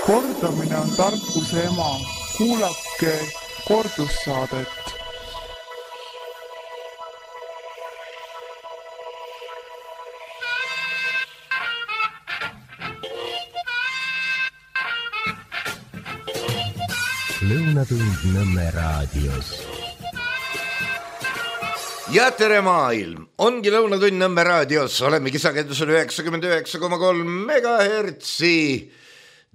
Kordamine on tarkuse ema. Kuulake kordussaadet. Lõunatund Nõmme raadios. Ja tere maailm! Ongi Lõunatund Nõmme raadios. Olemegi sagedusel 99,3 megahertsi.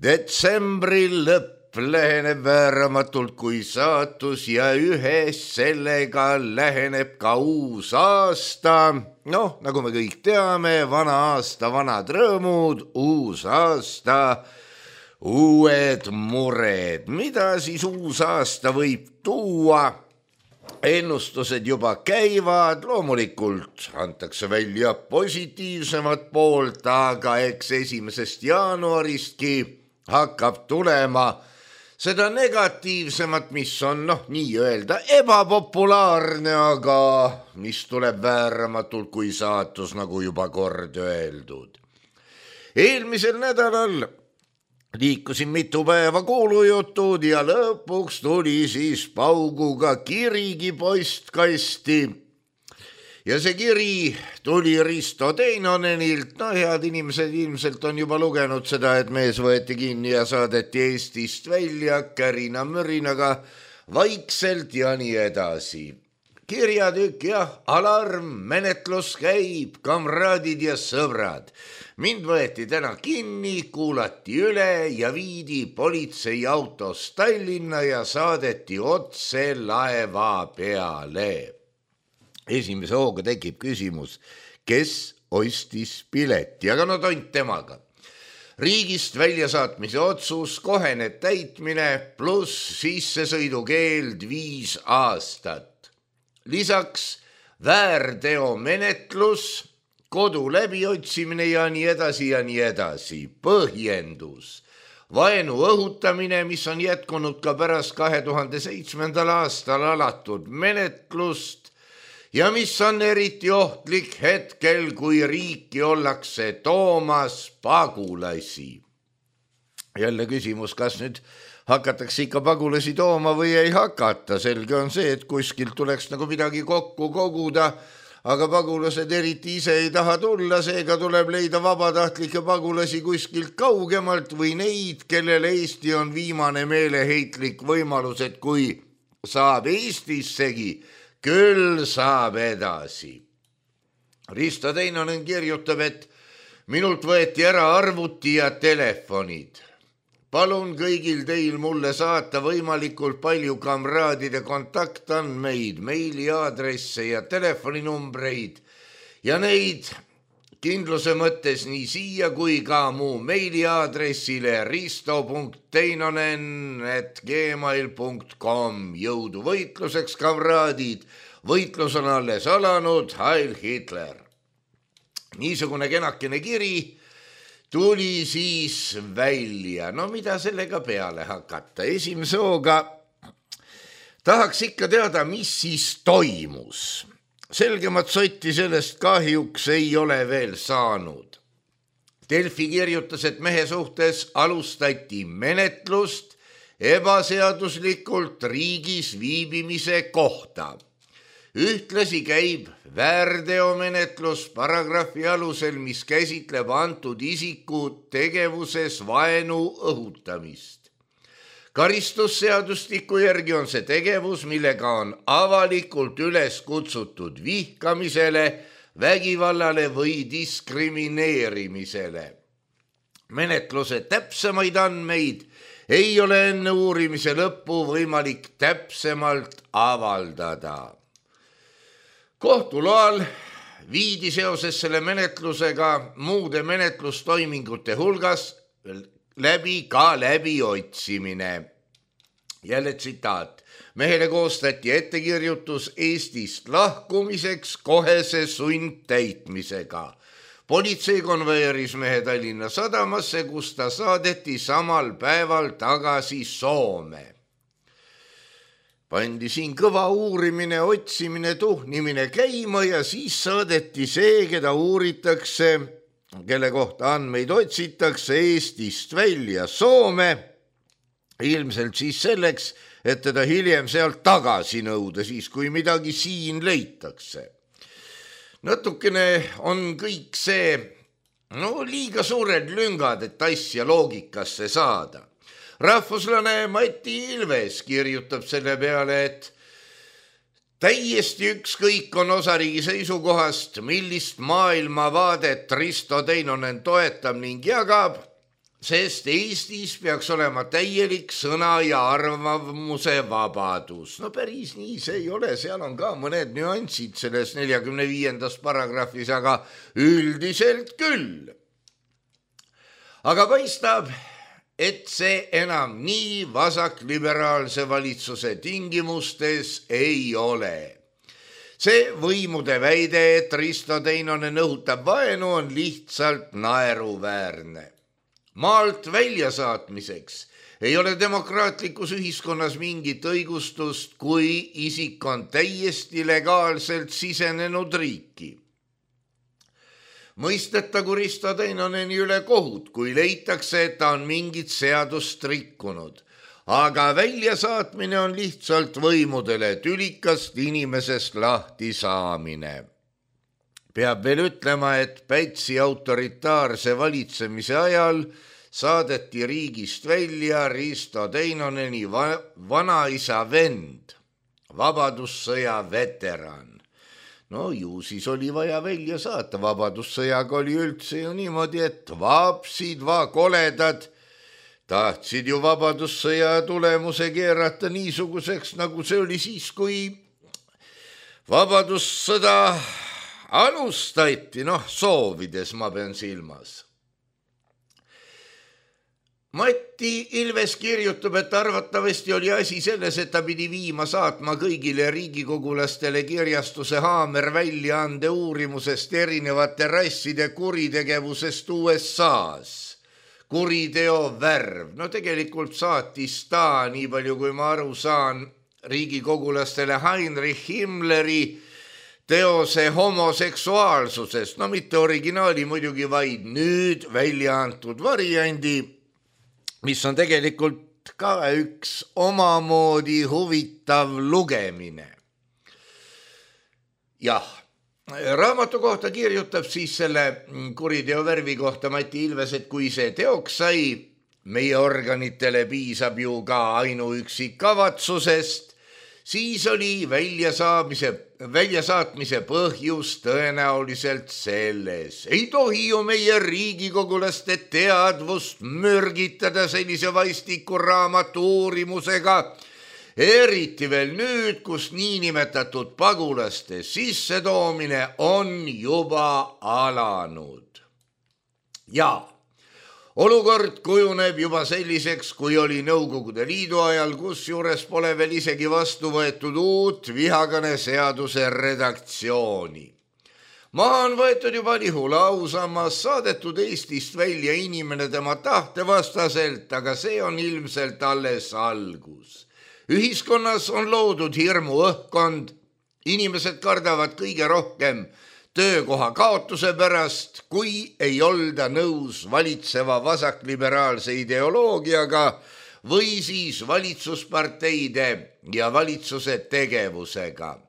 Detsembril lõpp läheneb vääramatult kui saatus ja ühes sellega läheneb ka uus aasta. Noh, nagu me kõik teame, vana aasta, vanad rõõmud, uus aasta, uued mured. Mida siis uus aasta võib tuua? Ennustused juba käivad, loomulikult antakse välja positiivsemat poolt, aga eks 1. jaanuaristki hakkab tulema seda negatiivsemat, mis on nii-öelda ebapopulaarne, aga mis tuleb vääramatult kui saatus, nagu juba kord öeldud. Eelmisel nädalal liikusin mitu päeva kuulujutud ja lõpuks tuli siis pauguga kirigi postkasti. Ja see kiri tuli Risto Teinonenilt. Head inimesed ilmselt on juba lugenud seda, et mees võeti kinni ja saadeti Eestist välja kärina-mürinaga vaikselt ja nii edasi. Kirjatükk ja alarm, menetlus käib, kamraadid ja sõbrad. Mind võeti täna kinni, kuulati üle ja viidi politseiautos Tallinna ja saadeti otse laeva peale. Esimese hooga tekib küsimus, kes ostis pileti, aga tont temaga. Riigist väljasaatmise otsus, kohene täitmine pluss sissesõidukeeld 5 aastat. Lisaks väärteomenetlus, kodu läbiotsimine ja nii edasi ja nii edasi. Põhjendus. Vaenu õhutamine, mis on jätkunud ka pärast 2007. aastal alatud menetlust ja mis on eriti ohtlik hetkel, kui riiki ollakse toomas pagulasi. Jälle küsimus, kas nüüd hakatakse ikka pagulasi tooma või ei hakata. Selge on see, et kuskilt tuleks nagu midagi kokku koguda, aga pagulased eriti ise ei taha tulla, seega tuleb leida vabatahtlikke pagulasi kuskilt kaugemalt või neid, kellel Eesti on viimane meeleheitlik võimalus, et kui saab Eestissegi, küll saab edasi. Risto Teinonen kirjutab, et minult võeti ära arvuti ja telefonid. Palun kõigil teil mulle saata võimalikult palju kamraadide kontaktandmeid, meiliaadresse ja telefoninumbreid ja neid kindluse mõttes nii siia kui ka mu meiliaadressile risto.teinonen@gmail.com. Jõudu võitluseks, kamraadid. Võitlus on alles alanud. Heil Hitler. Niisugune kenakene kiri tuli siis välja. Mida sellega peale hakata? Esimese hooga tahaks ikka teada, mis siis toimus. Selgemat sotti sellest kahjuks ei ole veel saanud. Delfi kirjutas, et mehe suhtes alustati menetlust ebaseaduslikult riigis viibimise kohta. Ühtlasi käib väärteomenetlus paragrahvi alusel, mis käsitleb antud isiku tegevuses vaenu õhutamist. Karistusseadustiku järgi on see tegevus, millega on avalikult üles kutsutud vihkamisele, vägivallale või diskrimineerimisele. Menetluse täpsemaid andmeid ei ole enne uurimise lõppu võimalik täpsemalt avaldada. Kohtuloal viidi seoses selle menetlusega muude menetlustoimingute hulgas läbi ka läbiotsimine. Jälle tsitaat. Mehele koostati ettekirjutus Eestist lahkumiseks kohese sundtäitmisega. Politsei konveeris mehe Tallinna sadamasse, kus ta saadeti samal päeval tagasi Soome. Pandi siin kõva uurimine, otsimine, tuhnimine käima ja siis saadeti see, keda uuritakse, kelle kohta andmeid otsitakse Eestist välja Soome, ilmselt siis selleks, et teda hiljem sealt tagasi nõuda, siis kui midagi siin leitakse. Natukene on kõik see liiga suured lüngad, et asja loogikasse saada. Rahvuslane Mati Ilves kirjutab selle peale, et täiesti ükskõik on osariigi seisukohast, millist maailmavaadet Risto Teinonen toetab ning jagab, sest Eestis peaks olema täielik sõna ja arvamuse vabadus. No päris nii see ei ole, seal on ka mõned nüansid selles 45. paragrahvis, aga üldiselt küll. Aga paistab, et see enam nii vasakliberaalse valitsuse tingimustes ei ole. See võimude väide, et Risto Teinonen õhutab vaenu, on lihtsalt naeruväärne. Maalt väljasaatmiseks ei ole demokraatlikus ühiskonnas mingit õigustust, kui isik on täiesti legaalselt sisenenud riiki. Mõistetagu Risto Teinoneni üle kohut, kui leitakse, et ta on mingit seadust rikkunud. Aga väljasaatmine on lihtsalt võimudele tülikast inimesest lahti saamine. Peab veel ütlema, et Pätsi autoritaarse valitsemise ajal saadeti riigist välja Risto Teinoneni vanaisa vend, vabadussõja veteran. No ju siis oli vaja välja saata. Vabadussõjaga oli üldse ju niimoodi, et vapsid koledad tahtsid ju vabadussõja tulemuse keerata niisuguseks, nagu see oli siis, kui vabadussõda alustati, soovides ma pean silmas. Mati Ilves kirjutab, et arvatavasti oli asi selles, et ta pidi saatma kõigile riigikogulastele kirjastuse Haamer väljaande uurimusest erinevate rasside kuritegevusest USA-s. Kuriteo värv. Tegelikult saatis ta, nii palju kui ma aru saan, riigikogulastele Heinrich Himmleri teose homoseksuaalsusest. Mitte originaali muidugi, vaid nüüd välja antud variandi, mis on tegelikult ka üks omamoodi huvitav lugemine. Jah, raamatu kohta kirjutab siis selle kuriteo värvi kohta Mati Ilves, et kui see teoks sai, meie organitele piisab ju ka ainuüksi kavatsusest, siis oli väljasaatmise põhjus tõenäoliselt selles. Ei tohi ju meie riigikogulaste teadvust mürgitada sellise vaistiku raamatu uurimusega, eriti veel nüüd, kus niinimetatud pagulaste sissetoomine on juba alanud. Ja olukord kujuneb juba selliseks, kui oli Nõukogude Liidu ajal, kus juures pole veel isegi vastu võetud uut vihakõne seaduse redaktsiooni. Maha on võetud juba Lihula ausammas, saadetud Eestist välja inimene tema tahte vastaselt, aga see on ilmselt alles algus. Ühiskonnas on loodud hirmu õhkkond, inimesed kardavad kõige rohkem töökoha kaotuse pärast, kui ei olda nõus valitseva vasakliberaalse ideoloogiaga või siis valitsusparteide ja valitsuse tegevusega.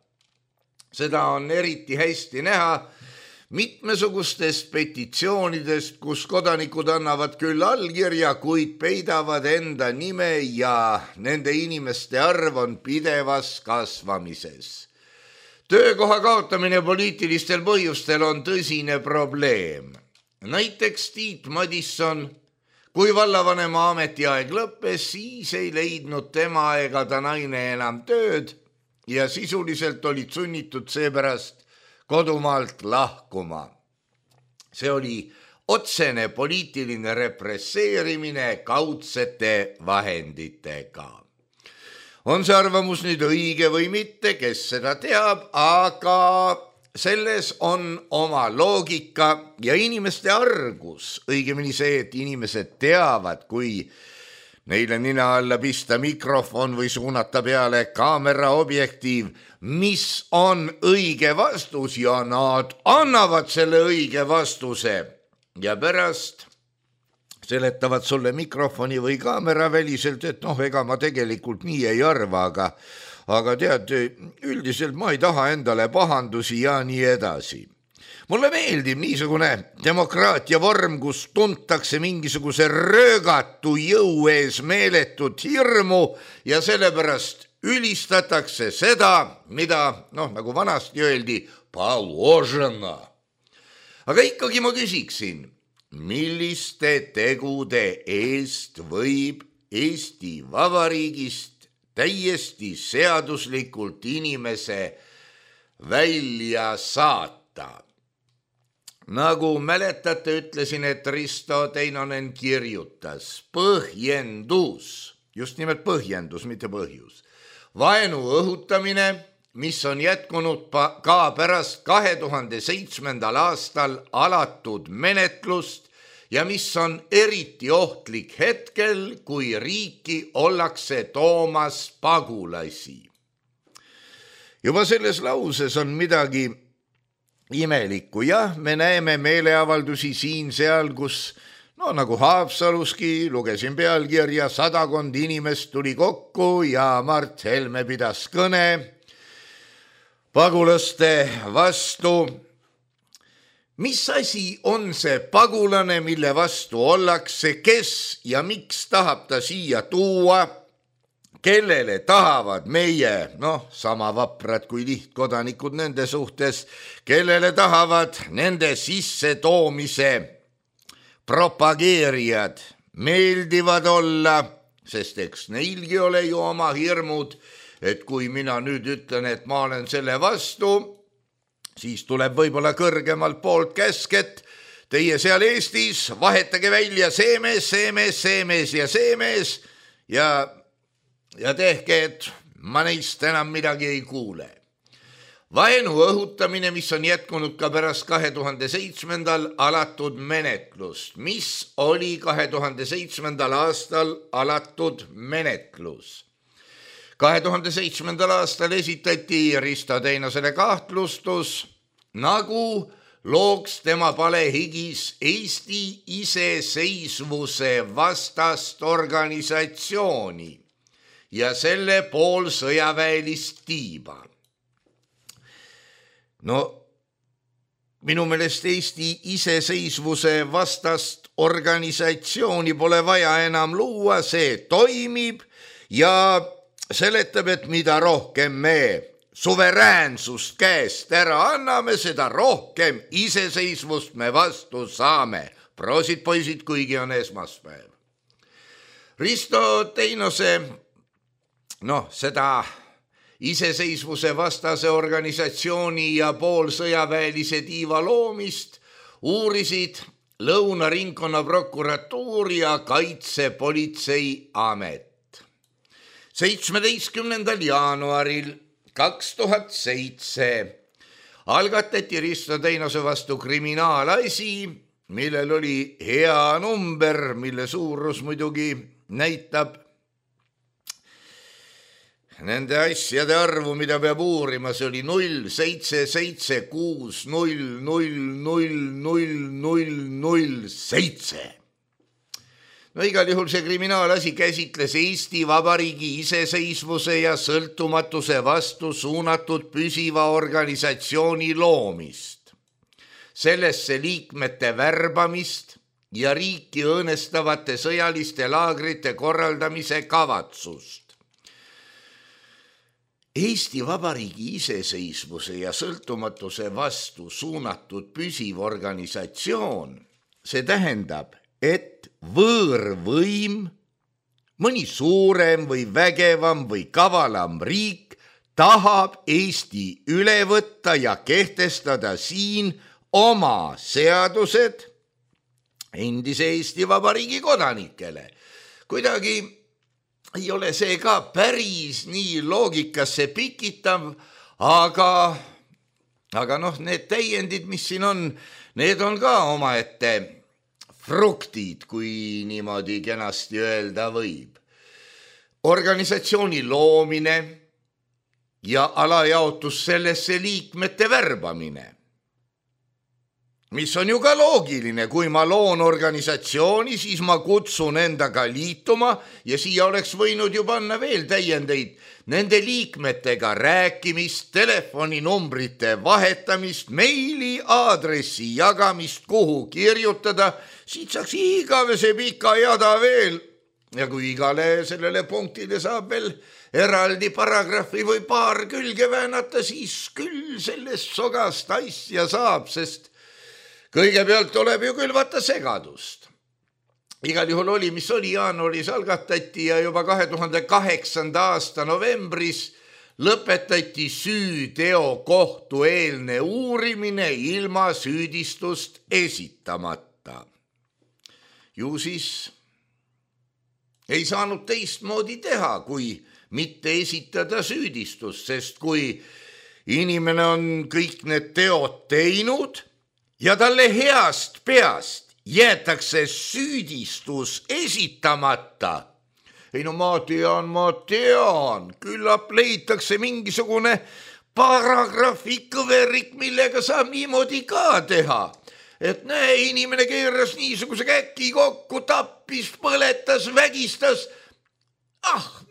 Seda on eriti hästi näha mitmesugustest petitsioonidest, kus kodanikud annavad küll allkirja, kuid peidavad enda nime ja nende inimeste arv on pidevas kasvamises. Töökoha kaotamine poliitilistel põhjustel on tõsine probleem. Näiteks Tiit Madisson, kui vallavanema ametiaeg lõppes, siis ei leidnud tema ega ta naine enam tööd ja sisuliselt olid sunnitud seepärast kodumaalt lahkuma. See oli otsene poliitiline represseerimine kaudsete vahenditega. On see arvamus nüüd õige või mitte, kes seda teab, aga selles on oma loogika ja inimeste argus, õigemini see, et inimesed teavad, kui neile nina alla pista mikrofon või suunata peale kaamera objektiiv, mis on õige vastus ja nad annavad selle õige vastuse. ja pärast seletavad sulle mikrofoni või kaamera väliselt, et ega ma tegelikult nii ei arva, aga tead, üldiselt ma ei taha endale pahandusi ja nii edasi. Mulle meeldib niisugune demokraatia vorm, kus tuntakse mingisuguse röögatu jõu ees meeletut hirmu ja sellepärast ülistatakse seda, mida, nagu vanasti öeldi, положено. Aga ikkagi ma küsiksin, milliste tegude eest võib Eesti Vabariigist täiesti seaduslikult inimese välja saata? Nagu mäletate, ütlesin, et Risto Teinonen kirjutas põhjendus, just nimelt põhjendus, mitte põhjus. Vaenu õhutamine, mis on jätkunud ka pärast 2007. aastal alatud menetlust ja mis on eriti ohtlik hetkel, kui riiki ollakse toomas pagulasi. Juba selles lauses on midagi imelikku. Jah, me näeme meeleavaldusi siin-seal, kus nagu Haapsaluski, lugesin pealkirja, 100 inimest tuli kokku ja Mart Helme pidas kõne pagulaste vastu. Mis asi on see pagulane, mille vastu ollakse, kes ja miks tahab ta siia tuua, kellele tahavad meie, sama vaprad kui lihtkodanikud nende suhtes, kellele tahavad nende sisse toomise propageerijad meeldivad olla, sest eks neilgi ole ju oma hirmud, et kui mina nüüd ütlen, et ma olen selle vastu, siis tuleb võib-olla kõrgemalt poolt käsk, et teie seal Eestis vahetage välja see mees ja tehke, et ma neist enam midagi ei kuule. Vaenu õhutamine, mis on jätkunud ka pärast 2007. alatud menetlust. Mis oli 2007. aastal alatud menetlus? 2007. aastal esitati Risto Teinosele kahtlustus, nagu looks tema palehigis Eesti iseseisvuse vastast organisatsiooni ja selle poolsõjaväelist tiiba. Minu meelest Eesti iseseisvuse vastast organisatsiooni pole vaja enam luua, see toimib ja seletab, et mida rohkem me suveräänsust käest ära anname, seda rohkem iseseisvust me vastu saame. Proosid poisid, kuigi on esmaspäev. Risto Teinose seda iseseisvuse vastase organisatsiooni ja poolsõjaväelise tiiva loomist uurisid Lõuna ringkonnaprokuratuur ja Kaitsepolitseiamet. 17. jaanuaril 2007 algatati Risto Teinose vastu kriminaalasi, millel oli hea number, mille suurus muidugi näitab nende asjade arvu, mida peab uurima, see oli 07760000007. Igal juhul see kriminaalasi käsitles Eesti Vabariigi iseseisvuse ja sõltumatuse vastu suunatud püsiva organisatsiooni loomist, sellesse liikmete värbamist ja riiki õõnestavate sõjaliste laagrite korraldamise kavatsust. Eesti Vabariigi iseseisvuse ja sõltumatuse vastu suunatud püsiv organisatsioon, see tähendab, et võõrvõim, mõni suurem või vägevam või kavalam riik tahab Eesti üle võtta ja kehtestada siin oma seadused endise Eesti Vabariigi kodanikele. Kuidagi ei ole see ka päris nii loogikasse pikitav, aga need täiendid, mis siin on, need on ka omaette fruktid, kui niimoodi kenasti öelda võib. Organisatsiooni loomine ja alajaotus sellesse liikmete värbamine. mis on ju ka loogiline, kui ma loon organisatsiooni, siis ma kutsun endaga liituma ja siia oleks võinud ju panna veel täiendeid nende liikmetega rääkimist, telefoninumbrite vahetamist, meili aadressi jagamist, kuhu kirjutada, siit saaks igavese pika jada veel. Ja kui igale sellele punktile saab veel eraldi paragrahvi või paar külge väänata, siis küll sellest sogast asja saab, sest kõigepealt tuleb ju küll vaata segadust. Igal juhul oli, mis oli, jaanuaris algatati ja juba 2008. aasta novembris lõpetati süüteo kohtueelne uurimine ilma süüdistust esitamata. Ju siis ei saanud teistmoodi teha, kui mitte esitada süüdistust, sest kui inimene on kõik need teod teinud ja talle heast peast jäetakse süüdistus esitamata. Ei no ma tean, küllap leitakse mingisugune paragrahvi kõverik, millega saab niimoodi ka teha. Et näe, inimene keeras niisuguse käki kokku, tappis, põletas, vägistas.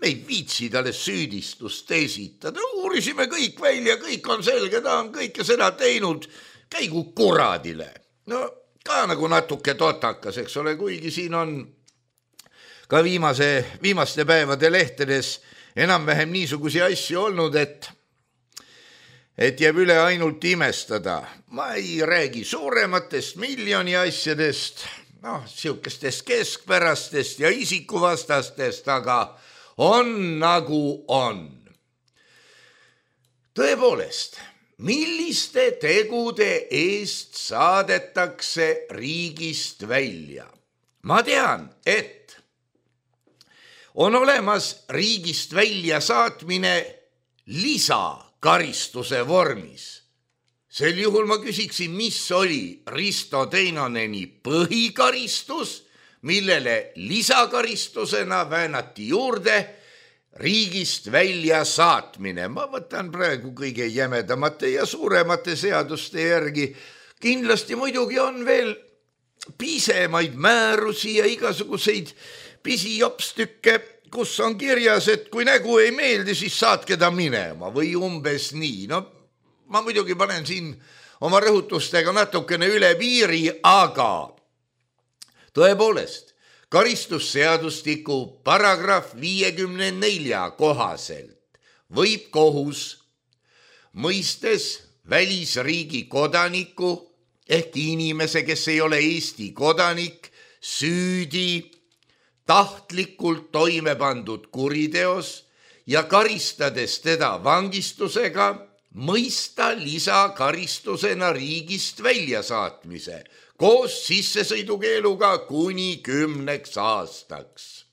Me ei viitsi talle süüdistust esitada. Uurisime kõik välja, kõik on selge, ta on kõike seda teinud. Käigu kuradile. No ka nagu natuke totakas, eks ole, kuigi siin on ka viimaste päevade lehtedes enam-vähem niisugusi asju olnud, et jääb üle ainult imestada. Ma ei räägi suurematest miljoni asjadest, siukestest keskpärastest ja isikuvastastest, aga on nagu on. Tõepoolest, milliste tegude eest saadetakse riigist välja? Ma tean, et on olemas riigist välja saatmine lisakaristuse vormis. Sel juhul ma küsiksin, mis oli Risto Teinoneni põhikaristus, millele lisakaristusena väänati juurde riigist välja saatmine. Ma võtan praegu kõige jämedamate ja suuremate seaduste järgi. Kindlasti muidugi on veel pisemaid määrusi ja igasuguseid pisijopstükke, kus on kirjas, et kui nägu ei meeldi, siis saatke ta minema või umbes nii. No ma muidugi panen siin oma rõhutustega natukene üle piiri, aga tõepoolest, karistusseadustiku paragrahv 54 kohaselt võib kohus, mõistes välisriigi kodaniku ehk inimese, kes ei ole Eesti kodanik, süüdi tahtlikult toime pandud kuriteos ja karistades teda vangistusega, mõista lisakaristusena riigist väljasaatmise koos sissesõidukeeluga kuni 10 aastaks.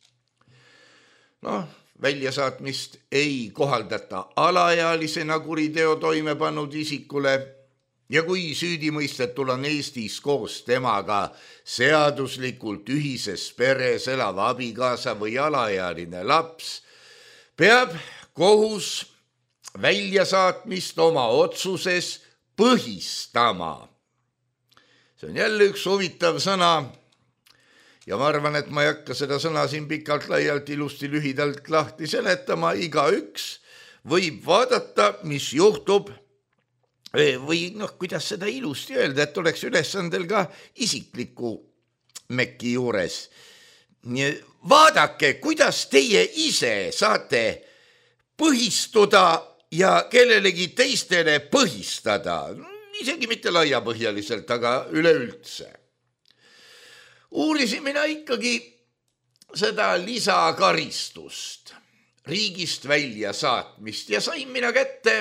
Väljasaatmist ei kohaldata alaealisena kuriteo toime pannud isikule ja kui süüdimõistetul on Eestis koos temaga seaduslikult ühises peres elav abikaasa või alaealine laps, peab kohus väljasaatmist oma otsuses põhistama. See on jälle üks huvitav sõna ja ma arvan, et ma ei hakka seda sõna siin pikalt laialt ilusti lühidalt lahti seletama. Igaüks võib vaadata, mis juhtub või kuidas seda ilusti öelda, et oleks ülesandel ka isikliku mekki juures. Vaadake, kuidas teie ise saate põhistuda ja kellelegi teistele põhistada. Isegi mitte laiapõhjaliselt, aga üleüldse. Uurisin mina ikkagi seda lisakaristust, riigist välja saatmist ja sain mina kätte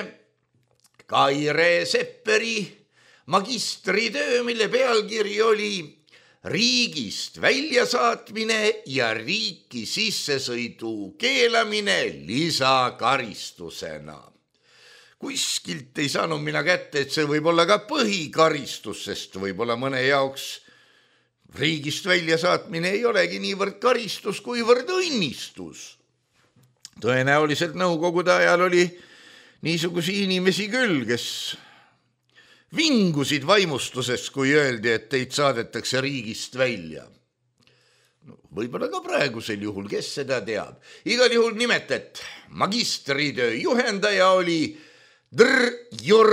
Kaire Sepperi magistritöö, mille pealkiri oli riigist väljasaatmine ja riiki sissesõidu keelamine lisakaristusena. Kuskilt ei saanud mina kätte, et see võib olla ka põhikaristus, sest võib-olla mõne jaoks riigist väljasaatmine ei olegi niivõrd karistus, kuivõrd õnnistus. Tõenäoliselt nõukogude ajal oli niisugusi inimesi küll, kes vingusid vaimustusest, kui öeldi, et teid saadetakse riigist välja. Võib-olla ka praegusel juhul, kes seda teab. Igal juhul nimetet magistritöö juhendaja oli Jür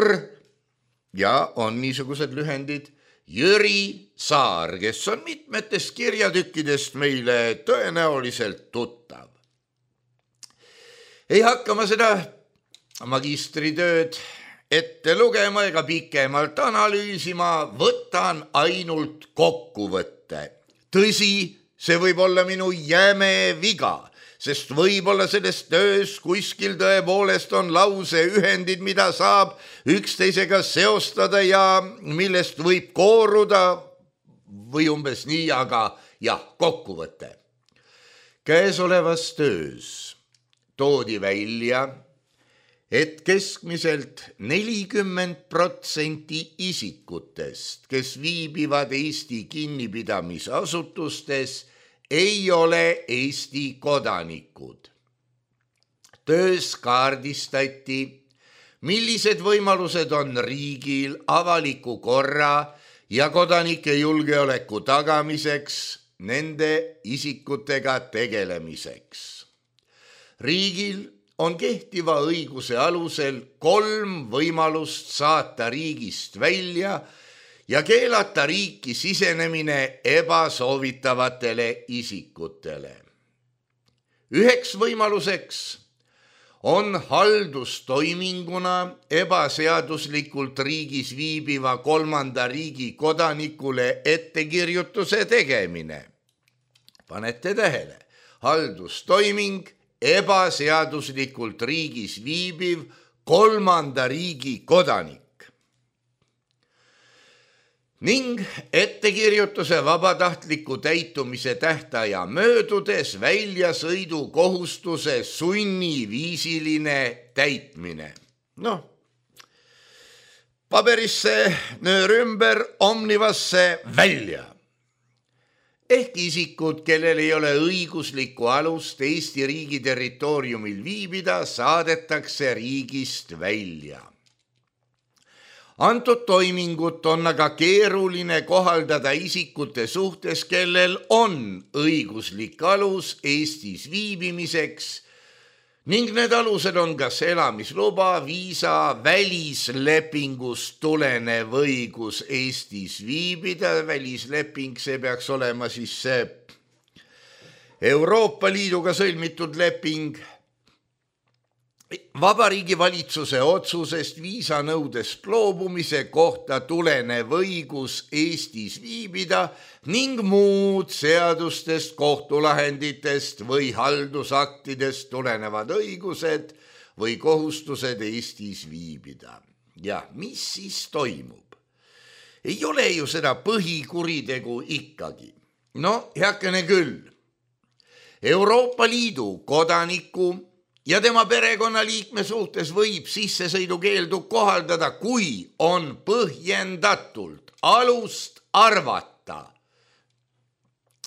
ja on niisugused lühendid Jüri Saar, kes on mitmetest kirjatükkidest meile tõenäoliselt tuttav. Ei hakka ma seda magistritööd ette lugema ega pikemalt analüüsima, võtan ainult kokkuvõtte. Tõsi, see võib olla minu jäme viga, sest võib-olla selles töös kuskil tõepoolest on lauseühendid, mida saab üksteisega seostada ja millest võib kooruda või umbes nii, aga jah, kokkuvõte. Käesolevas töös toodi välja, et keskmiselt 40% isikutest, kes viibivad Eesti kinnipidamisasutustes, ei ole Eesti kodanikud. Töös kaardistati, millised võimalused on riigil avaliku korra ja kodanike julgeoleku tagamiseks, nende isikutega tegelemiseks. Riigil on kehtiva õiguse alusel 3 võimalust saata riigist välja ja keelata riiki sisenemine ebasoovitavatele isikutele. Üheks võimaluseks on haldustoiminguna ebaseaduslikult riigis viibiva 3. riigi kodanikule ettekirjutuse tegemine. Panete tähele, haldustoiming ebaseaduslikult riigis viibiv 3. riigi kodanik. Ning ettekirjutuse vabatahtliku täitumise tähtaja möödudes väljasõidukohustuse sunniviisiline täitmine. Paberisse nöör ümber, Omnivasse välja. Ehk isikud, kellel ei ole õiguslikku alust Eesti riigi territooriumil viibida, saadetakse riigist välja. Antud toimingut on aga keeruline kohaldada isikute suhtes, kellel on õiguslik alus Eestis viibimiseks ning need alused on kas elamisluba, viisa, välislepingust tulenev õigus Eestis viibida. Välisleping, see peaks olema siis see Euroopa Liiduga sõlmitud leping. Vabariigi valitsuse otsusest viisanõudest loobumise kohta tulenev õigus Eestis viibida ning muud seadustest, kohtulahenditest või haldusaktidest tulenevad õigused või kohustused Eestis viibida. Ja mis siis toimub? Ei ole ju seda põhikuritegu ikkagi. Heakene küll. Euroopa Liidu kodaniku ja tema perekonnaliikme suhtes võib sissesõidukeeldu kohaldada, kui on põhjendatult alust arvata.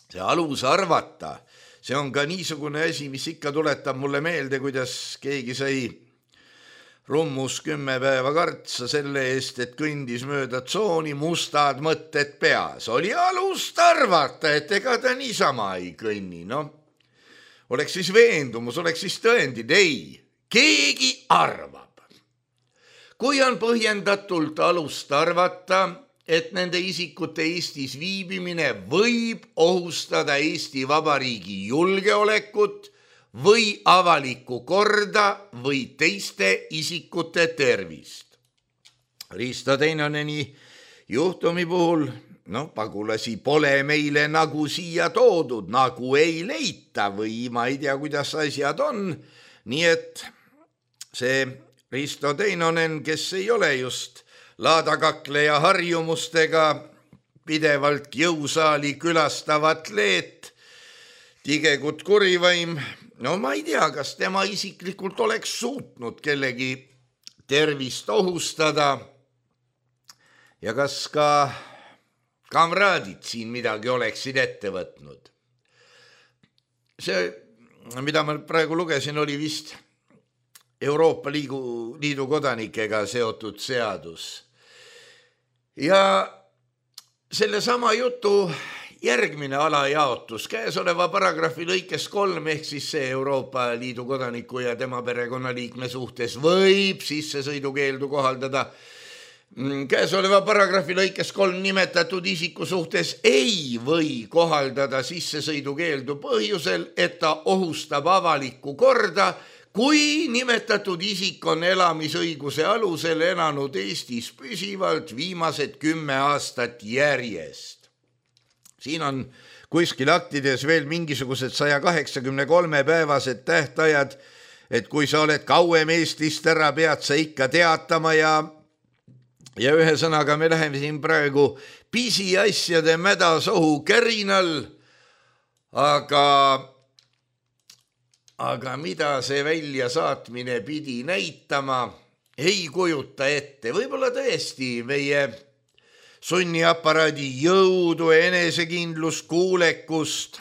See alus arvata, see on ka niisugune asi, mis ikka tuletab mulle meelde, kuidas keegi sai rummus 10 päeva kartsa selle eest, et kõndis mööda tsooni, mustad mõtted peas. Oli alust arvata, et ega ta niisama ei kõnni, Oleks siis veendumus, oleks siis tõendid. Ei, keegi arvab. Kui on põhjendatult alust arvata, et nende isikute Eestis viibimine võib ohustada Eesti Vabariigi julgeolekut või avalikku korda või teiste isikute tervist. Risto Teinoneni juhtumi puhul pagulasi pole meile nagu siia toodud, nagu ei leita või ma ei tea, kuidas asjad on. Nii et see Risto Teinonen, kes ei ole just laadakakleja harjumustega, pidevalt jõusaali külastavat leet, tigekut kurivaim, ma ei tea, kas tema isiklikult oleks suutnud kellegi tervist ohustada ja kas ka kamraadid siin midagi oleksid ette võtnud. See, mida ma praegu lugesin, oli vist Euroopa Liidu kodanikega seotud seadus. Ja selle sama jutu järgmine alajaotus käesoleva paragrahvi lõikes 3 ehk siis see Euroopa Liidu kodaniku ja tema perekonnaliikme suhtes võib sissesõidukeeldu kohaldada. Käesoleva paragrahvi lõikes 3 nimetatud isiku suhtes ei või kohaldada sissesõidukeeldu põhjusel, et ta ohustab avalikku korda, kui nimetatud isik on elamisõiguse alusel elanud Eestis püsivalt viimased 10 aastat järjest. Siin on kuskil aktides veel mingisugused 183 päevased tähtajad, et kui sa oled kauem Eestist ära, pead sa ikka teatama ja ühesõnaga me läheme siin praegu pisiasjade mädasohu kärinal, aga mida see väljasaatmine pidi näitama, ei kujuta ette. Võib-olla tõesti meie sunniaparaadi jõudu, enesekindlust, kuulekust,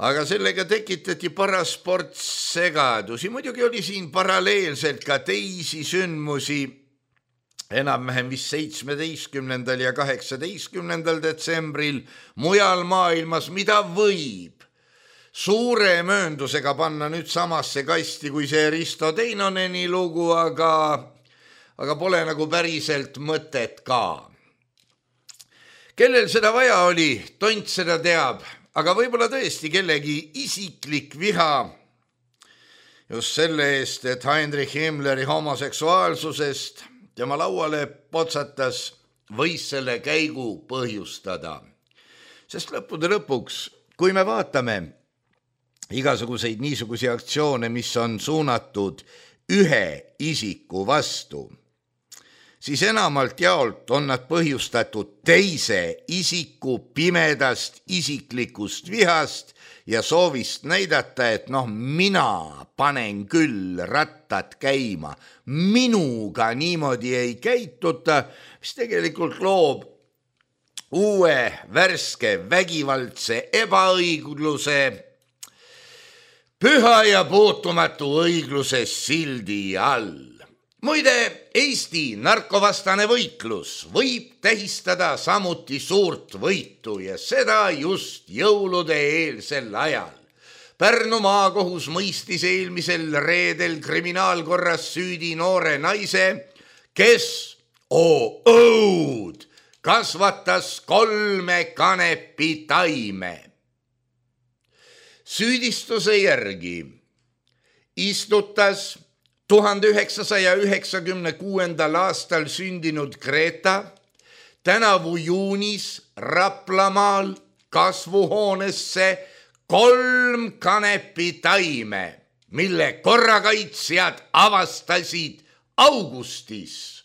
aga sellega tekitati paras ports segadusi. Muidugi oli siin paralleelselt ka teisi sündmusi, enam-vähem vist 17. ja 18. detsembril mujal maailmas, mida võib suure mööndusega panna nüüd samasse kasti kui see Risto Teinoneni lugu, aga pole nagu päriselt mõtet ka. Kellel seda vaja oli, tont seda teab, aga võib-olla tõesti kellegi isiklik viha just selle eest, et Heinrich Himmleri homoseksuaalsusest tema lauale potsatas, võis selle käigu põhjustada. Sest lõppude lõpuks, kui me vaatame igasuguseid niisuguseid aktsioone, mis on suunatud ühe isiku vastu, siis enamalt jaolt on nad põhjustatud teise isiku pimedast isiklikust vihast ja soovist näidata, et mina panen küll rattad käima, minuga niimoodi ei käituta, mis tegelikult loob uue, värske, vägivaldse ebaõigluse, püha ja puutumatu õigluse sildi all. Muide, Eesti narkovastane võitlus võib tähistada samuti suurt võitu ja seda just jõulude eelsel ajal. Pärnu maakohus mõistis eelmisel reedel kriminaalkorras süüdi noore naise, kes, õud, kasvatas 3 kanepitaime. Süüdistuse järgi istutas 1996. aastal sündinud Greta tänavu juunis Raplamaal kasvuhoonesse 3 kanepitaime, mille korrakaitsjad avastasid augustis.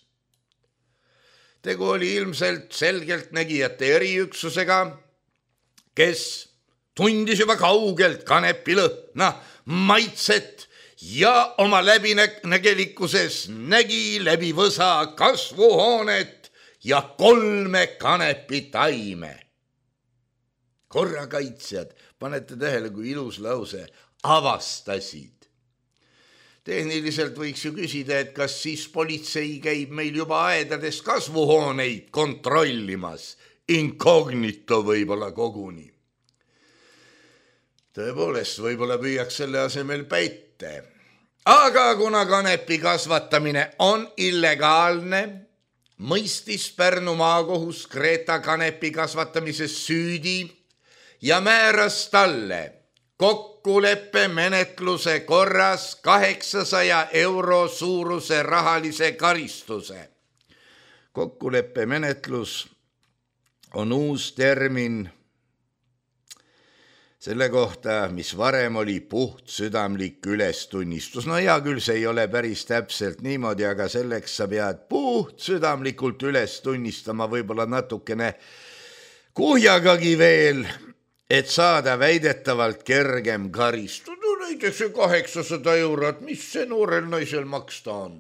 Tegu oli ilmselt selgeltnägijate eriüksusega, kes tundis juba kaugelt kanepilõhna, maitset ja oma läbinägelikkuses nägi läbi võsa kasvuhoonet ja 3 kanepitaime. Korrakaitsjad, panete tähele, kui ilus lause, avastasid. Tehniliselt võiks ju küsida, et kas siis politsei käib meil juba aedades kasvuhooneid kontrollimas, inkognito võib-olla koguni. Tõepoolest, võib-olla püüaks selle asemel päite. Aga kuna kanepi kasvatamine on illegaalne, mõistis Pärnu maakohus Greta kanepi kasvatamises süüdi ja määras talle kokkuleppe menetluse korras 800 € suuruse rahalise karistuse. Kokkuleppe menetlus on uus termin selle kohta, mis varem oli puhtsüdamlik ülestunnistus. No hea küll, see ei ole päris täpselt niimoodi, aga selleks sa pead puhtsüdamlikult üles tunnistama võib-olla natukene kuhjagagi veel, et saada väidetavalt kergem karistus. No näiteks 800 €, mis see noorel naisel maksta on?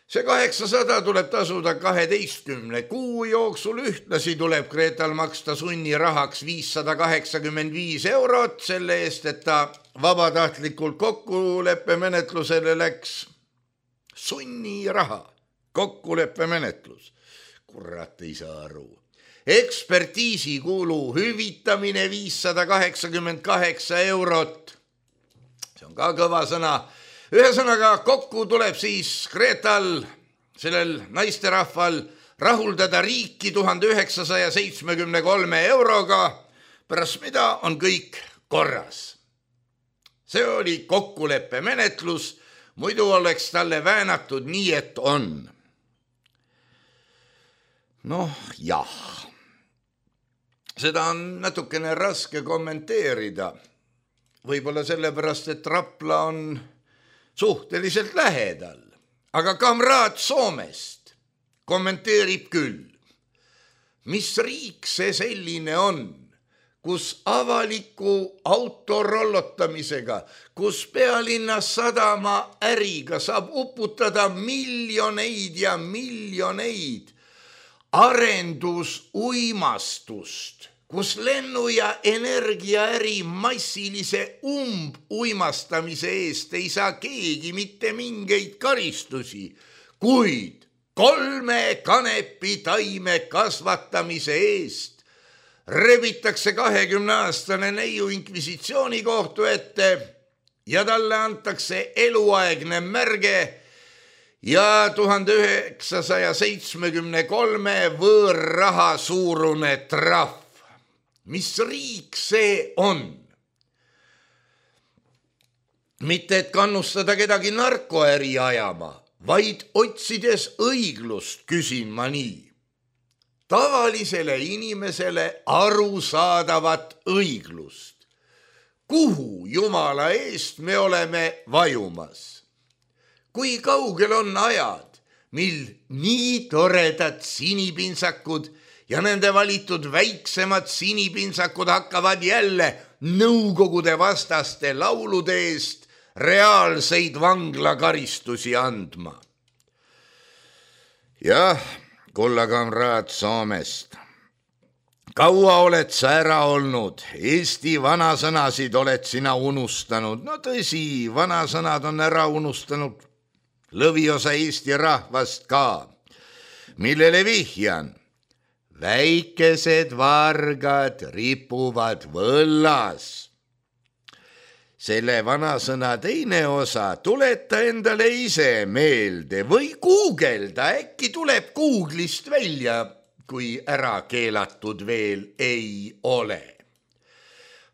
See 800 tuleb tasuda 12 kuu jooksul, ühtlasi tuleb Gretal maksta sunnirahaks 585 € selle eest, et ta vabatahtlikult kokkuleppe menetlusele läks. Sunniraha kokkuleppemenetlus. Kurat ei saa aru. Ekspertiisikulu hüvitamine 588 eurot. See on ka kõva sõna. Ühesõnaga kokku tuleb siis Gretal, sellel naisterahval, rahuldada riiki 1973 euroga, pärast mida on kõik korras. See oli kokkuleppemenetlus, muidu oleks talle väänatud nii, et on. Noh, jah. Seda on natukene raske kommenteerida. Võib-olla sellepärast, et Rapla on suhteliselt lähedal. Aga kamraad Soomest kommenteerib küll. Mis riik see selline on, kus avaliku autorollotamisega, kus pealinnas sadama äriga saab uputada miljoneid ja miljoneid arendusuimastust, kus lennu- ja energiaäri massilise uimastamise eest ei saa keegi mitte mingeid karistusi, kuid 3 kanepitaime kasvatamise eest rebitakse 20-aastane neiu inkvisitsiooni kohtu ette ja talle antakse eluaegne märge ja 1973 võõrraha suurune trahv. Mis riik see on? Mitte et kannustada kedagi narkoäri ajama, vaid otsides õiglust küsin ma nii. Tavalisele inimesele arusaadavat õiglust. Kuhu Jumala eest me oleme vajumas? Kui kaugel on ajad, mil nii toredad sinipintsakud ja nende valitud väiksemad sinipintsakud hakkavad jälle nõukogude vastaste laulude eest reaalseid vanglakaristusi andma. Jah, kullakamraad Soomest. Kaua oled sa ära olnud? Eesti vanasõnasid oled sina unustanud. No tõsi, vanasõnad on ära unustanud lõviosa Eesti rahvast ka. Millele vihjan? Väikesed vargad ripuvad võllas. Selle vanasõna teine osa tuleta endale ise meelde või guugelda, äkki tuleb Googlist välja, kui ära keelatud veel ei ole.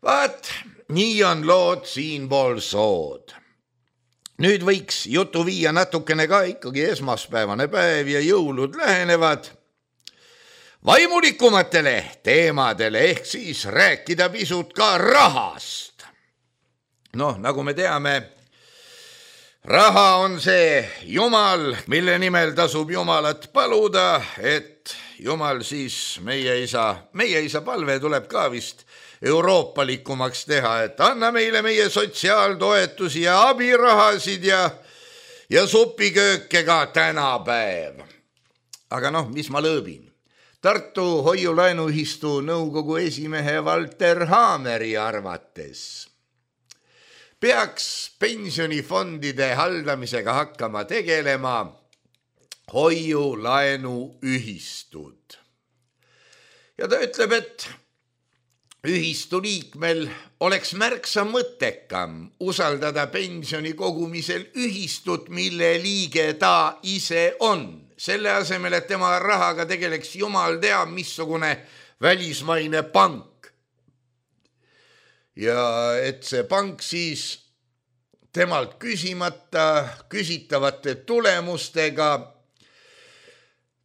Vaat, nii on lood siinpool sood. Nüüd võiks jutu viia natukene ka ikkagi esmaspäevane päev ja jõulud lähenevad vaimulikumatele teemadele ehk siis rääkida pisut ka rahast. Noh, nagu me teame, raha on see Jumal, mille nimel tasub Jumalat paluda, et Jumal siis meie isa palve tuleb ka vist euroopalikumaks teha, et anna meile meie sotsiaaltoetusi ja abirahasid ja supikööke ka tänapäev. Aga noh, mis ma lõõbin? Tartu hoiulaenuühistu nõukogu esimehe Valter Haameri arvates peaks pensionifondide haldamisega hakkama tegelema hoiulaenuühistud. Ja ta ütleb, et ühistu liikmel oleks märksa mõttekam usaldada pensioni kogumisel ühistut, mille liige ta ise on. Selle asemel, et tema rahaga tegeleks jumal teab missugune välismaine pank. Ja et see pank siis temalt küsitavate tulemustega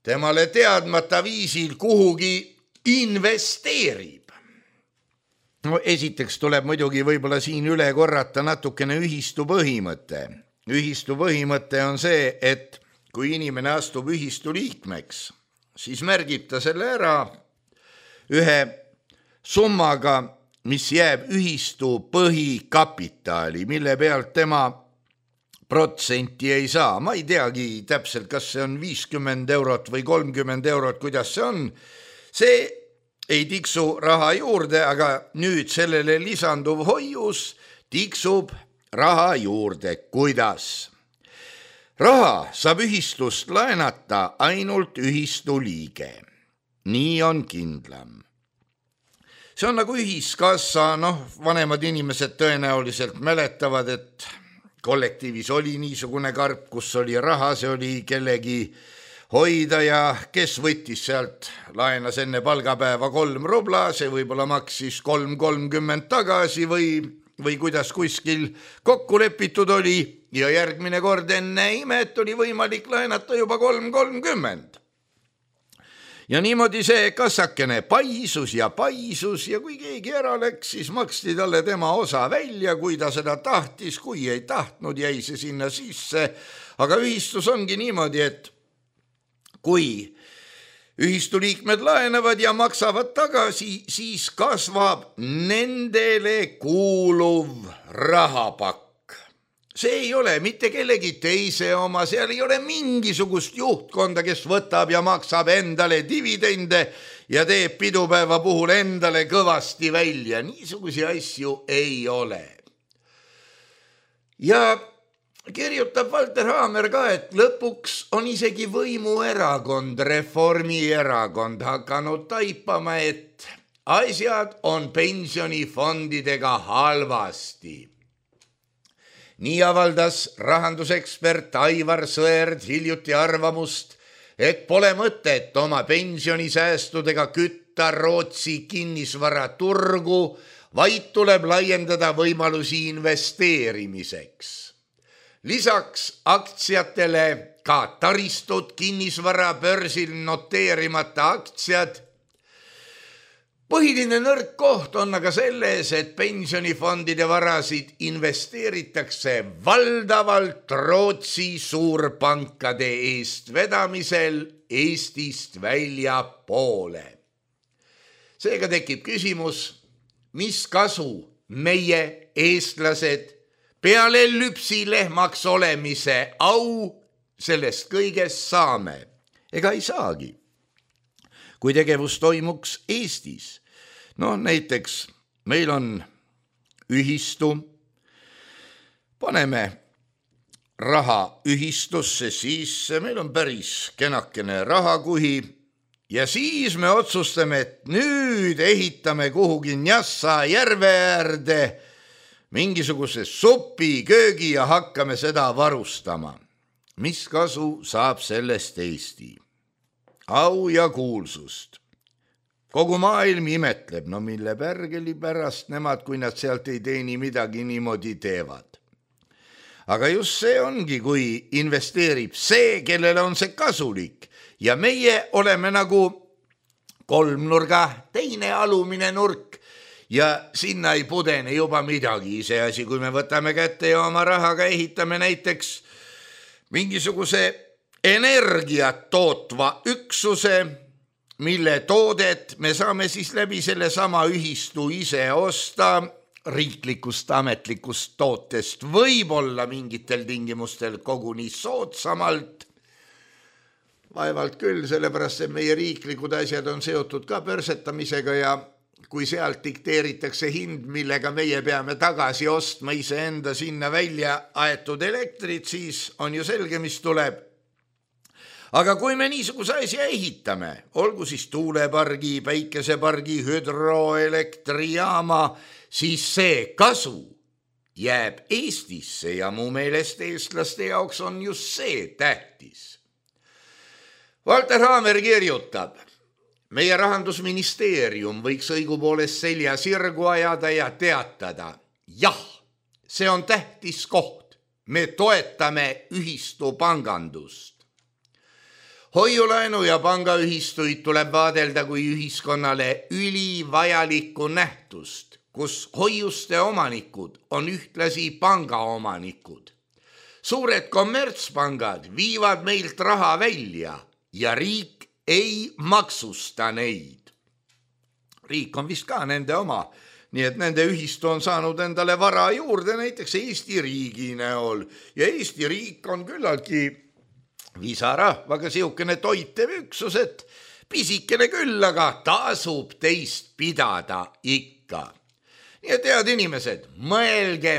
temale teadmata viisil kuhugi investeerib. No esiteks tuleb muidugi võib-olla siin üle korrata natukene ühistu põhimõte. Ühistu põhimõte on see, et kui inimene astub ühistu liikmeks, siis märgib ta selle ära ühe summaga, mis jääb ühistu põhikapitaali, mille pealt tema protsenti ei saa. Ma ei teagi täpselt, kas see on 50 eurot või 30 eurot, kuidas see on. See ei tiksu raha juurde, aga nüüd sellele lisanduv hoius tiksub raha juurde. Kuidas? Raha saab ühistust laenata ainult ühistu liige. Nii on kindlam. See on nagu ühiskassa, vanemad inimesed tõenäoliselt mäletavad, et kollektiivis oli niisugune karp, kus oli raha, see oli kellegi hoida ja kes võttis sealt, laenas enne palgapäeva 3 rubla, see võib-olla maksis 3.30 tagasi või kuidas kuskil kokku lepitud oli ja järgmine kord enne imet oli võimalik laenata juba 3.30. Ja niimoodi see kassakene paisus ja kui keegi ära läks, siis maksti talle tema osa välja, kui ta seda tahtis, kui ei tahtnud, jäi see sinna sisse. Aga ühistus ongi niimoodi, et kui ühistu liikmed laenavad ja maksavad tagasi, siis kasvab nendele kuuluv rahapakk. See ei ole mitte kellegi teise oma, seal ei ole mingisugust juhtkonda, kes võtab ja maksab endale dividende ja teeb pidupäeva puhul endale kõvasti välja. Niisugusi asju ei ole. Ja kirjutab Valter Haamer ka, et lõpuks on isegi võimuerakond, Reformierakond hakanud taipama, et asjad on pensionifondidega halvasti. Nii avaldas rahandusekspert Aivar Sõerd hiljuti arvamust, et pole mõtet oma pensionisäästudega kütta Rootsi kinnisvaraturgu, vaid tuleb laiendada võimalusi investeerimiseks. Lisaks aktsiatele ka taristud, kinnisvara, börsil noteerimata aktsiad. Põhiline nõrk koht on aga selles, et pensionifondide varasid investeeritakse valdavalt Rootsi suurpankade eest vedamisel Eestist väljapoole. Seega tekib küsimus, mis kasu meie eestlased peale lüpsilehmaks olemise au sellest kõigest saame. Ega ei saagi. Kui tegevus toimuks Eestis, näiteks meil on ühistu, paneme raha ühistusse sisse, meil on päris kenakene rahakuhi ja siis me otsustame, et nüüd ehitame kuhugi Njassa järve äärde mingisuguse supi, köögi ja hakkame seda varustama. Mis kasu saab sellest Eesti? Au ja kuulsust. Kogu maailm imetleb, mille pärgeli pärast nemad, kui nad sealt ei teeni midagi, niimoodi teevad. Aga just see ongi, kui investeerib see, kellele on see kasulik. Ja meie oleme nagu kolmnurga teine alumine nurk ja sinna ei pudene juba midagi. Iseasi, kui me võtame kätte ja oma rahaga ehitame näiteks mingisuguse energiat tootva üksuse, mille toodet me saame siis läbi selle sama ühistu ise osta riiklikust ametlikust tootest, võib-olla mingitel tingimustel koguni soodsamalt. Vaevalt küll, sellepärast et meie riiklikud asjad on seotud ka börsetamisega ja kui sealt dikteeritakse hind, millega meie peame tagasi ostma iseenda sinna välja aetud elektrit, siis on ju selge, mis tuleb. Aga kui me niisuguse asja ehitame, olgu siis tuulepargi, päikesepargi, hüdroelektrijaama, siis see kasu jääb Eestisse ja mu meelest eestlaste jaoks on just see tähtis. Valter Haamer kirjutab, meie rahandusministeerium võiks õigupoolest selja sirgu ajada ja teatada, jah, see on tähtis koht, me toetame ühistu pangandust. Hoiulaenu ja pangaühistuid tuleb vaadelda kui ühiskonnale ülivajalikku nähtust, kus hoiuste omanikud on ühtlasi pangaomanikud. Suured kommertspangad viivad meilt raha välja ja riik ei maksusta neid. Riik on vist ka nende oma, nii et nende ühistu on saanud endale vara juurde näiteks Eesti riigi näol ja Eesti riik on küllaltki visarahvaga siukene toitev üksus, et pisikene küll, aga tasub teist pidada ikka. Nii et head inimesed, mõelge.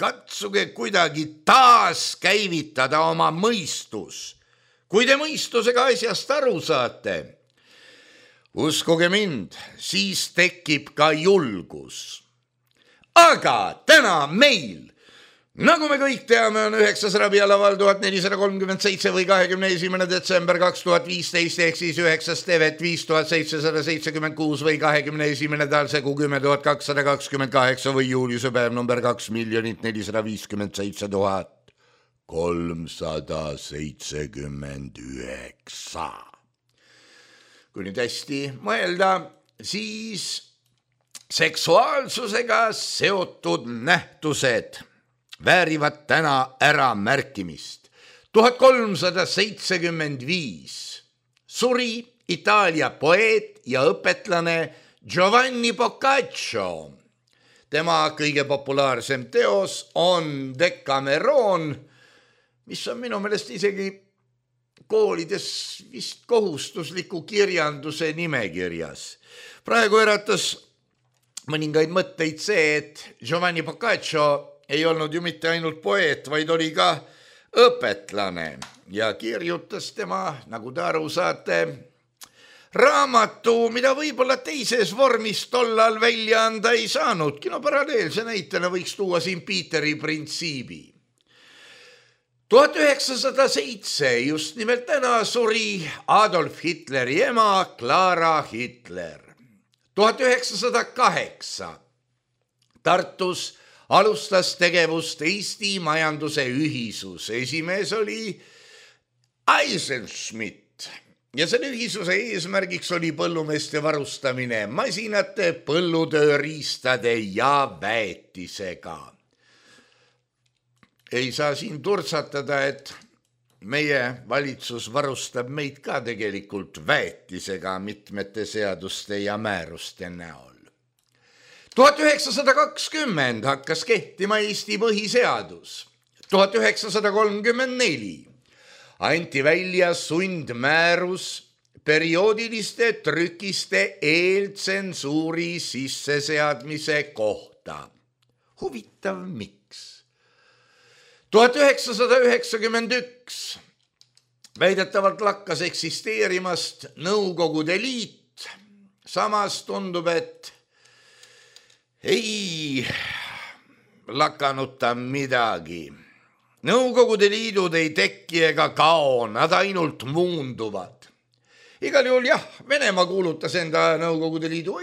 katsuge kuidagi taaskäivitada oma mõistus. Kui te mõistusega asjast aru saate, uskuge mind, siis tekib ka julgus. Aga täna meil, nagu me kõik teame, on 9. rabialaval 1437 või 21. detsember 2015 ehk siis 9. tevet 5776 või 21. talsegu 10.228 või juuliuse päev number 2,457,379. Kui nüüd hästi mõelda, siis seksuaalsusega seotud nähtused väärivad täna ära märkimist. 1375 suri Itaalia poeet ja õpetlane Giovanni Boccaccio. Tema kõige populaarsem teos on Decameron, mis on minu meelest isegi koolides vist kohustusliku kirjanduse nimekirjas. Praegu äratas mõningaid mõtteid see, et Giovanni Boccaccio ei olnud ju mitte ainult poeet, vaid oli ka õpetlane ja kirjutas tema, nagu te aru saate, raamatu, mida võib-olla teises vormis tollal välja anda ei saanudki. No paralleelse näitena võiks tuua siin Peteri printsiibi. 1907, just nimelt täna, suri Adolf Hitleri ema Clara Hitler. 1908 Tartus alustas tegevust Eesti majanduse ühisus. Esimees oli Eisenschmidt ja selle ühisuse eesmärgiks oli põllumeeste varustamine masinate, põllutööriistade ja väetisega. Ei saa siin turtsatada, et meie valitsus varustab meid ka tegelikult väetisega mitmete seaduste ja määruste näol. 1920 hakkas kehtima Eesti põhiseadus. 1934 anti välja sundmäärus perioodiliste trükiste eeltsensuuri sisseseadmise kohta. Huvitav miks? 1991 väidetavalt lakkas eksisteerimast Nõukogude Liit. Samas tundub, et ei lakanud ta midagi. Nõukogude Liidud ei tekki ega kao, nad ainult muunduvad. Igal juhul jah, Venemaa kuulutas enda Nõukogude Liidu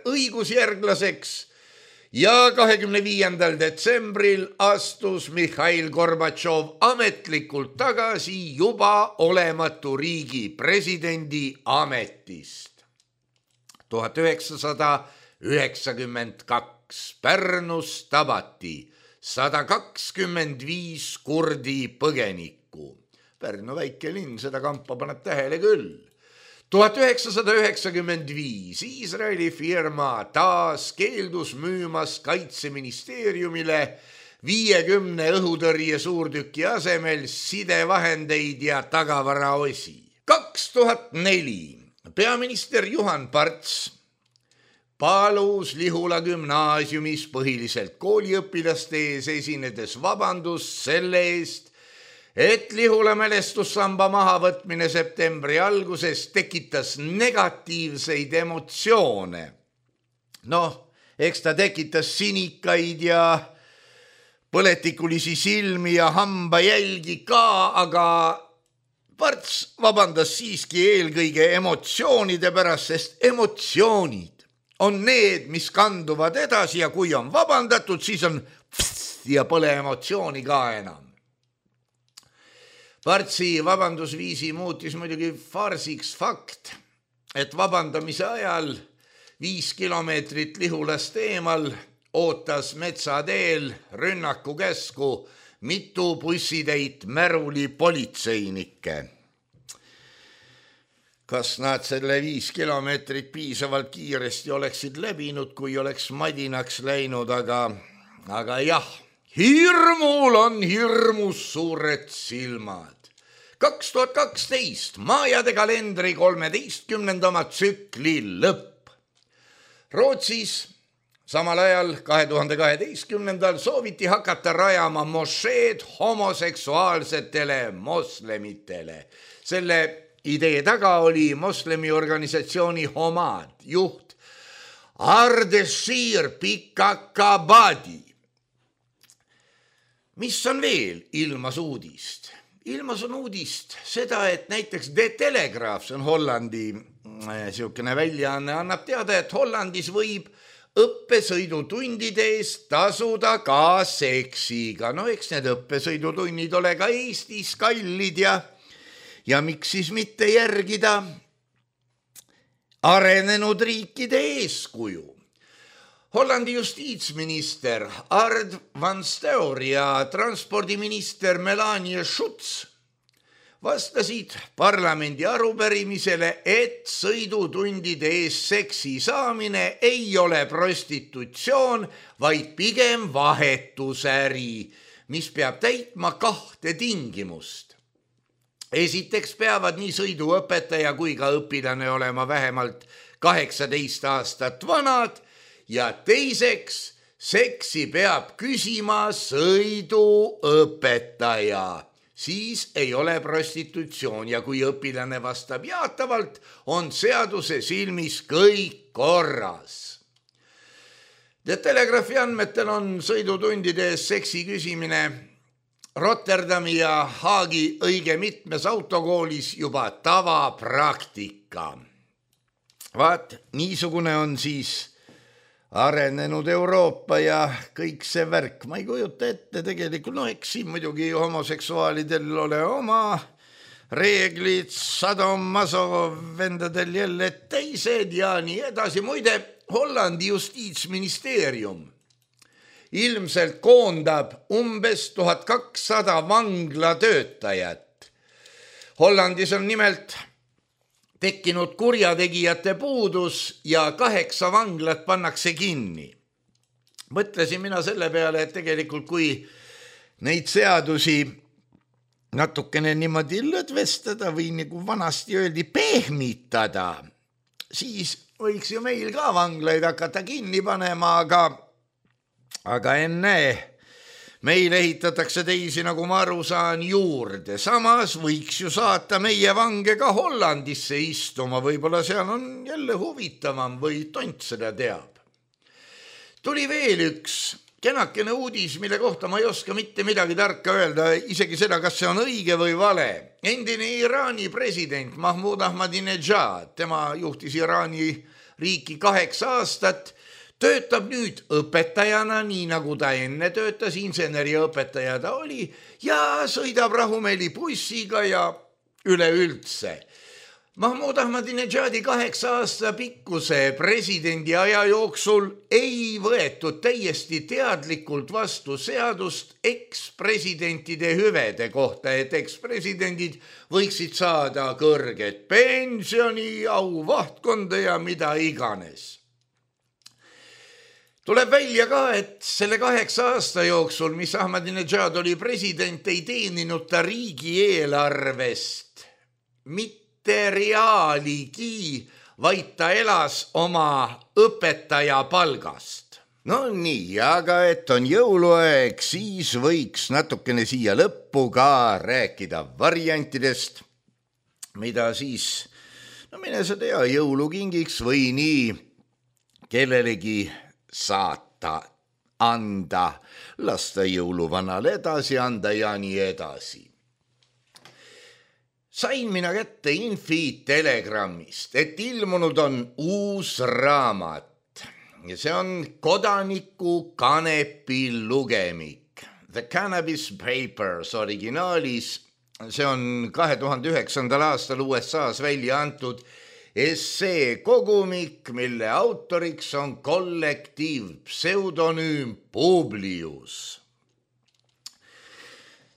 õigusjärglaseks ja 25. detsembril astus Mihhail Gorbatšov ametlikult tagasi juba olematu riigi presidendi ametist. 1992 Pärnus tabati 125 kurdi põgenikku. Pärnu väike linn, seda kampa paneb tähele küll. 1995 Iisraeli firma taas keeldus müümas Kaitseministeeriumile 50 õhutõrje suurtüki asemel sidevahendeid ja tagavaraosi. 2004 peaminister Juhan Parts palus Lihula gümnaasiumis põhiliselt kooliõpilaste ees esinedes vabandust selle eest, et Lihula mälestussamba mahavõtmine septembri alguses tekitas negatiivseid emotsioone. Eks ta tekitas sinikaid ja põletikulisi silmi ja hambajälgi ka, aga Parts vabandas siiski eelkõige emotsioonide pärast, sest emotsioonid on need, mis kanduvad edasi ja kui on vabandatud, siis on ja pole emotsiooni ka enam. Partsi vabandusviisi muutis muidugi farsiks fakt, et vabandamise ajal 5 kilomeetrit Lihulast eemal ootas metsateel rünnakukäsku mitu bussitäit Märuli politseinikke. Kas nad selle 5 kilomeetrit piisavalt kiiresti oleksid läbinud, kui oleks madinaks läinud, aga jah, hirmul on hirmus suured silmad. 2012 Maajade kalendri 13. tsükli lõpp. Rootsis Samal ajal 2012. sooviti hakata rajama mošeed homoseksuaalsetele moslemitele. Selle idee taga oli moslemi organisatsiooni Homad juht Ardeshir Pikakabadi. Mis on veel ilmas uudist? Ilmas on uudist seda, et näiteks The Telegraaf, see on Hollandi siukene väljaanne, annab teada, et Hollandis võib õppesõidutundide eest tasuda ka seksiga. No eks need õppesõidutunnid ole ka Eestis kallid ja miks siis mitte järgida arenenud riikide eeskuju. Hollandi justiitsminister Ard van Steur ja transpordiminister Melanie Schutz vastasid parlamendi arupärimisele, et sõidutundide ees seksi saamine ei ole prostitutsioon, vaid pigem vahetusäri, mis peab täitma 2 tingimust. Esiteks peavad nii sõiduõpetaja kui ka õpilane olema vähemalt 18 aastat vanad ja teiseks seksi peab küsima sõiduõpetaja. Siis ei ole prostitutsioon ja kui õpilane vastab jaatavalt, on seaduse silmis kõik korras. The Telegraafi andmetel on sõidutundide ees seksi küsimine Rotterdami ja Haagi õige mitmes autokoolis juba tavapraktika. Vaat, niisugune on siis arenenud Euroopa ja kõik see värk. Ma ei kujuta ette tegelikult, eks siin muidugi homoseksuaalidel ole oma reeglid, sadomaso vendadel jälle teised ja nii edasi. Muide, Hollandi justiitsministeerium ilmselt koondab umbes 1200 vanglatöötajat. Hollandis on nimelt tekkinud kurjategijate puudus ja 8 vanglat pannakse kinni. Mõtlesin mina selle peale, et tegelikult kui neid seadusi natukene niimoodi lõdvestada või nagu vanasti öeldi pehmitada, siis võiks ju meil ka vanglaid hakata kinni panema, aga ennäe. Meil ehitatakse teisi, nagu ma aru saan, juurde. Samas võiks ju saata meie vange ka Hollandisse istuma. Võib-olla seal on jälle huvitavam või tont seda teab. Tuli veel üks kenakene uudis, mille kohta ma ei oska mitte midagi tarka öelda, isegi seda, kas see on õige või vale. Endine Iraani president Mahmoud Ahmadinejad, tema juhtis Iraani riiki 8 aastat, töötab nüüd õpetajana, nii nagu ta enne töötas, inseneriõpetaja ta oli ja sõidab rahumeeli bussiga ja üleüldse. Mahmoud Ahmadinejadi 8 aasta pikkuse presidendi aja jooksul ei võetud täiesti teadlikult vastu seadust ekspresidentide hüvede kohta, et ekspresidendid võiksid saada kõrget pensioni, auvahtkonda ja mida iganes. Tuleb välja ka, et selle 8 aasta jooksul, mis Ahmadinejad oli president, ei teeninud ta riigieelarvest mitte reaaligi, vaid ta elas oma õpetaja palgast. No nii, aga et on jõuluaeg, siis võiks natukene siia lõppu ka rääkida variantidest, mida siis, mine sa tea, jõulukingiks või nii kellelegi saata, anda, lasta jõuluvanale edasi anda ja nii edasi. Sain mina kätte infi Telegrammist, et ilmunud on uus raamat ja see on kodaniku kanepi lugemik. The Cannabis Papers originaalis, see on 2009. aastal USA-s välja antud essee kogumik, mille autoriks on kollektiiv pseudonüüm Publius.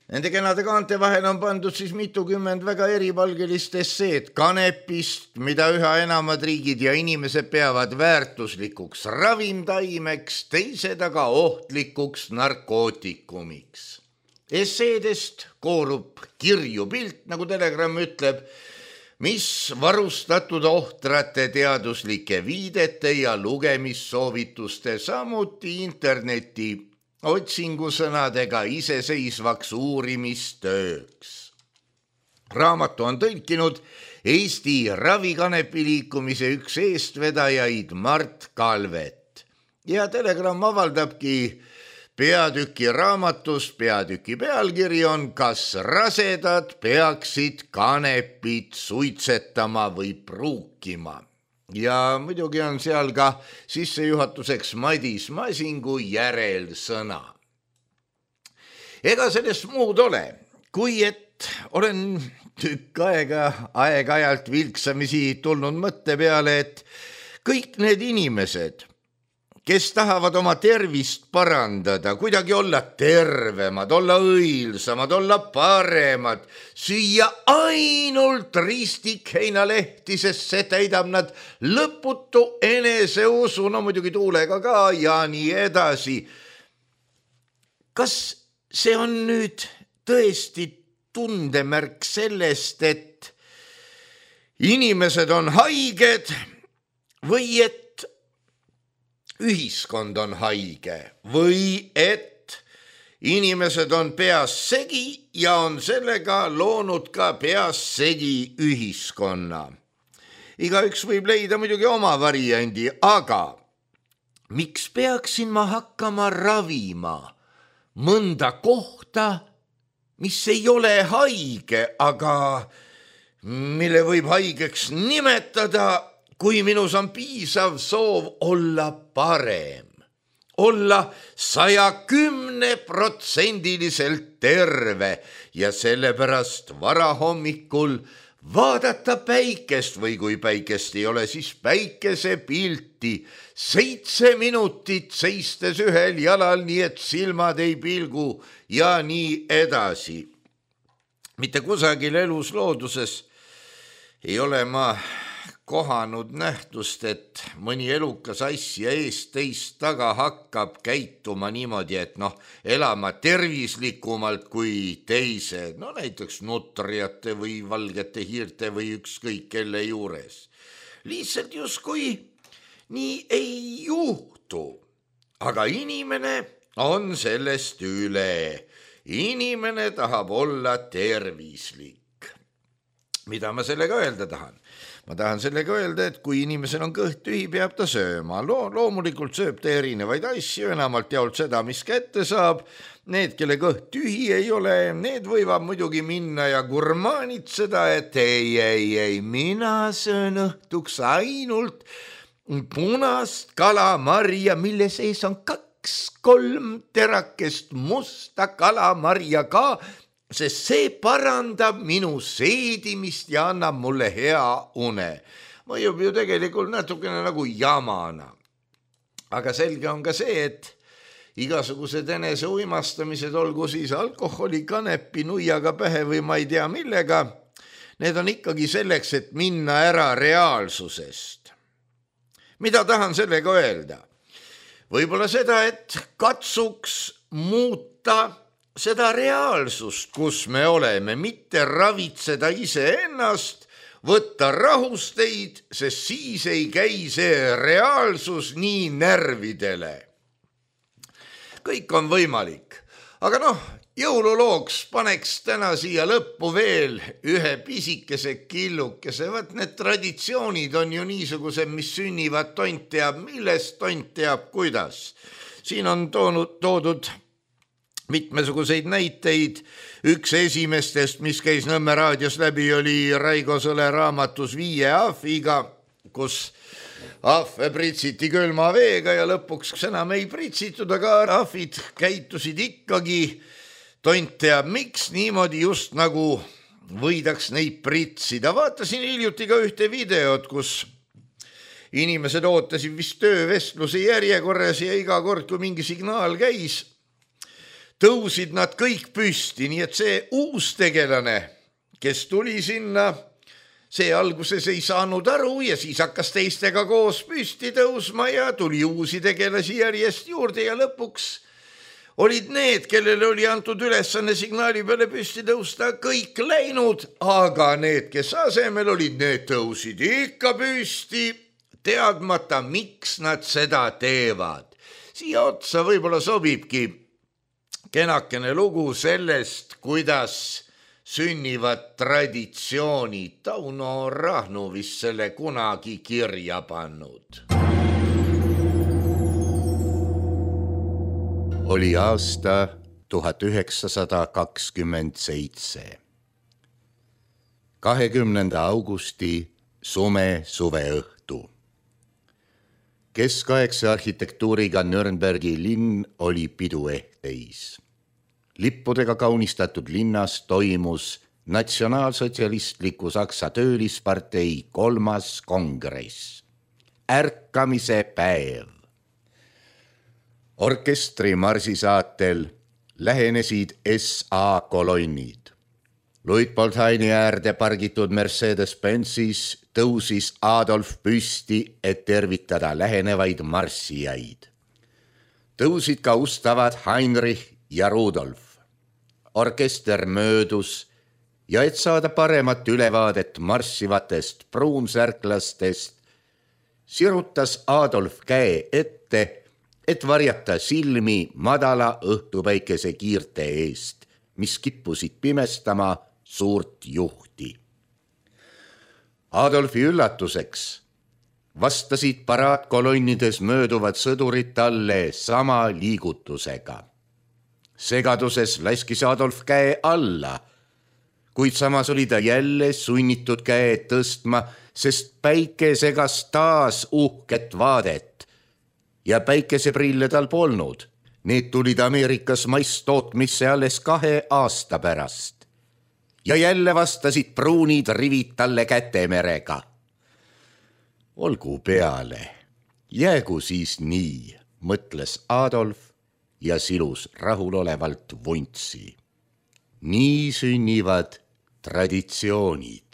Nende kenade kaante vahel on pandud siis mitukümmend väga eripalgelist esseed kanepist, mida üha enamad riigid ja inimesed peavad väärtuslikuks ravimtaimeks, teised aga ohtlikuks narkootikumiks. Esseedest koorub kirju pilt, nagu Telegram ütleb, mis varustatud ohtrate teaduslike viidete ja lugemissoovituste, samuti interneti otsingusõnadega iseseisvaks uurimistööks. Raamatu on tõlkinud Eesti ravikanepiliikumise üks eestvedajaid Mart Kalvet ja Telegram avaldabki peatüki raamatust. Peatüki pealkiri on Kas rasedad peaksid kanepit suitsetama või pruukima? Ja muidugi on seal ka sissejuhatuseks Madis Masingu järelsõna. Ega sellest muud ole, kui et olen tükk aega aeg-ajalt vilksamisi tulnud mõtte peale, et kõik need inimesed, kes tahavad oma tervist parandada, kuidagi olla tervemad, olla õilsamad, olla paremad, süüa ainult ristikheinalehti, sest see täidab nad lõputu eneseusu, no muidugi tuulega ka ja nii edasi. Kas see on nüüd tõesti tundemärk sellest, et inimesed on haiged või et ühiskond on haige või et inimesed on peas segi ja on sellega loonud ka peas segi ühiskonna? Igaüks võib leida muidugi oma variandi, aga miks peaksin ma hakkama ravima mõnda kohta, mis ei ole haige, aga mille võib haigeks nimetada, kui minus on piisav soov olla parem, olla 110% terve ja sellepärast varahommikul vaadata päikest või kui päikest ei ole, siis päikesepilti 7 minutit seistes ühel jalal, nii et silmad ei pilgu ja nii edasi. Mitte kusagil elus looduses ei ole ma kohanud nähtust, et mõni elukas asja eest teist taga hakkab käituma niimoodi, et elama tervislikumalt kui teised, näiteks nutrijate või valgete hiirte või ükskõik kelle juures. Lihtsalt justkui nii ei juhtu, aga inimene on sellest üle. Inimene tahab olla tervislik. Mida ma sellega öelda tahan? Ma tahan sellega öelda, et kui inimesel on kõht tühi, peab ta sööma. Loomulikult sööb ta erinevaid asju, enamalt jaolt seda, mis kätte saab. Need, kelle kõht tühi ei ole, need võivad muidugi minna ja gurmaanitseda, et ei, mina söön õhtuks ainult punast kalamarja, mille sees on 2-3 terakest musta kalamarja ka, sest see parandab minu seedimist ja annab mulle hea une. Mõjub ju tegelikult natukene nagu jamana. Aga selge on ka see, et igasugused enese uimastamised, olgu siis alkoholi, kanepi, nuiaga pähe või ma ei tea millega, need on ikkagi selleks, et minna ära reaalsusest. Mida tahan sellega öelda? Võib-olla seda, et katsuks muuta seda reaalsust, kus me oleme, mitte ravitseda iseennast, võtta rahusteid, sest siis ei käi see reaalsus nii närvidele. Kõik on võimalik, aga jõululooks paneks täna siia lõppu veel ühe pisikese killukese. Vaat need traditsioonid on ju niisugused, mis sünnivad tont teab millest, tont teab kuidas. Siin on toodud mitmesuguseid näiteid. Üks esimestest, mis käis Nõmme raadios läbi, oli Raigo Sõle raamatus 5 ahviga, kus ahve pritsiti külma veega ja lõpuks enam ei pritsitud, aga ahvid käitusid ikkagi tont teab miks niimoodi, just nagu võidaks neid pritsida. Vaatasin hiljuti ka ühte videot, kus inimesed ootasid vist töövestluse järjekorras ja iga kord, kui mingi signaal käis, tõusid nad kõik püsti, nii et see uus tegelane, kes tuli sinna, see alguses ei saanud aru ja siis hakkas teistega koos püsti tõusma ja tuli uusi tegelasi järjest juurde ja lõpuks olid need, kellele oli antud ülesanne signaali peale püsti tõusta, kõik läinud, aga need, kes asemel olid, need tõusid ikka püsti, teadmata, miks nad seda teevad. Siia otsa võib-olla sobibki kenakene lugu sellest, kuidas sünnivad traditsioonid. Tauno Rahnu vist selle kunagi kirja pannud. Oli aasta 1927. 20. augusti suveõhtu. Keskaegse arhitektuuriga Nürnbergi linn oli piduehteis. Lippudega kaunistatud linnas toimus natsionaalsotsialistliku Saksa töölispartei 3. kongress. Ärkamise päev. Orkestri marsisaatel lähenesid SA kolonnid. Luitpoldhaini äärde pargitud Mercedes-Benzis tõusis Adolf püsti, et tervitada lähenevaid marssijaid. Tõusid ka ustavad Heinrich ja Rudolf. Orkester möödus ja et saada paremat ülevaadet marssivatest pruunsärklastest, sirutas Adolf käe ette, et varjata silmi madala õhtupäikese kiirte eest, mis kippusid pimestama suurt juhti. Adolfi üllatuseks vastasid paraadkolonnides mööduvad sõdurid talle sama liigutusega. Segaduses laskis Adolf käe alla, kuid samas oli ta jälle sunnitud käe tõstma, sest päike segas taas uhket vaadet ja päikeseprille tal polnud. Need tulid Ameerikas masstootmisse alles 2 aasta pärast. Ja jälle vastasid pruunid rivid talle kätemerega. Olgu peale, jäägu siis nii, mõtles Adolf ja silus rahulolevalt vuntsi. Nii sünnivad traditsioonid.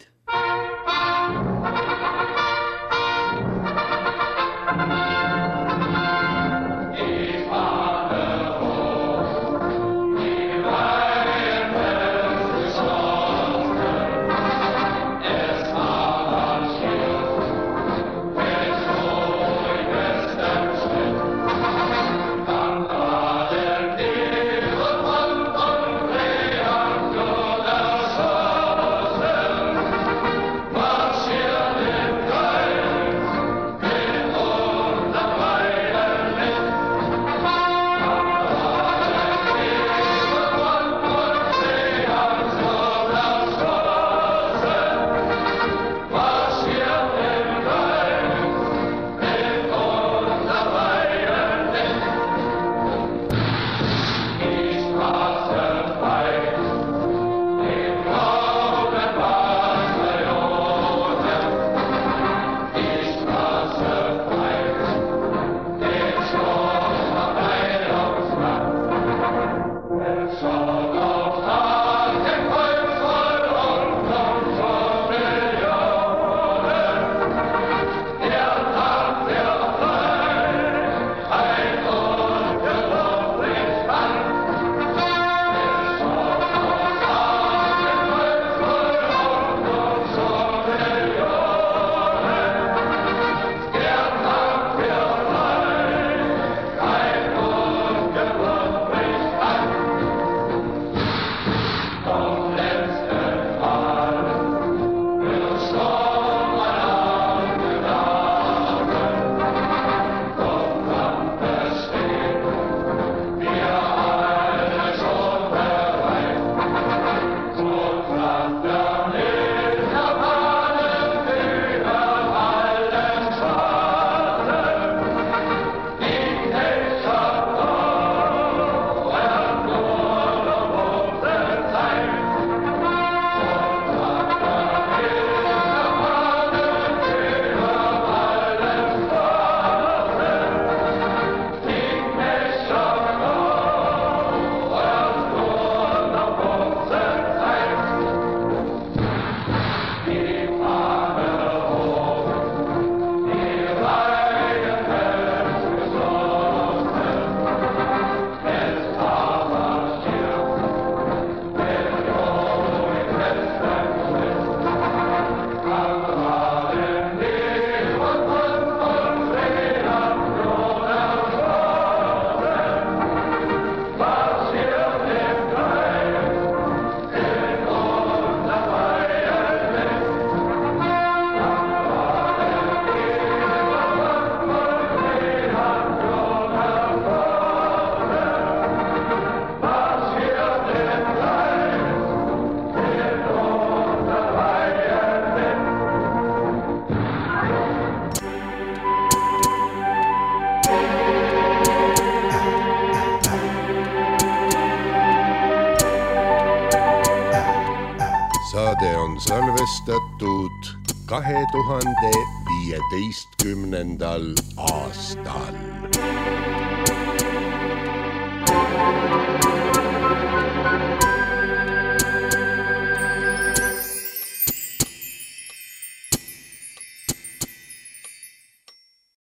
saade on salvestatud 2015. aastal.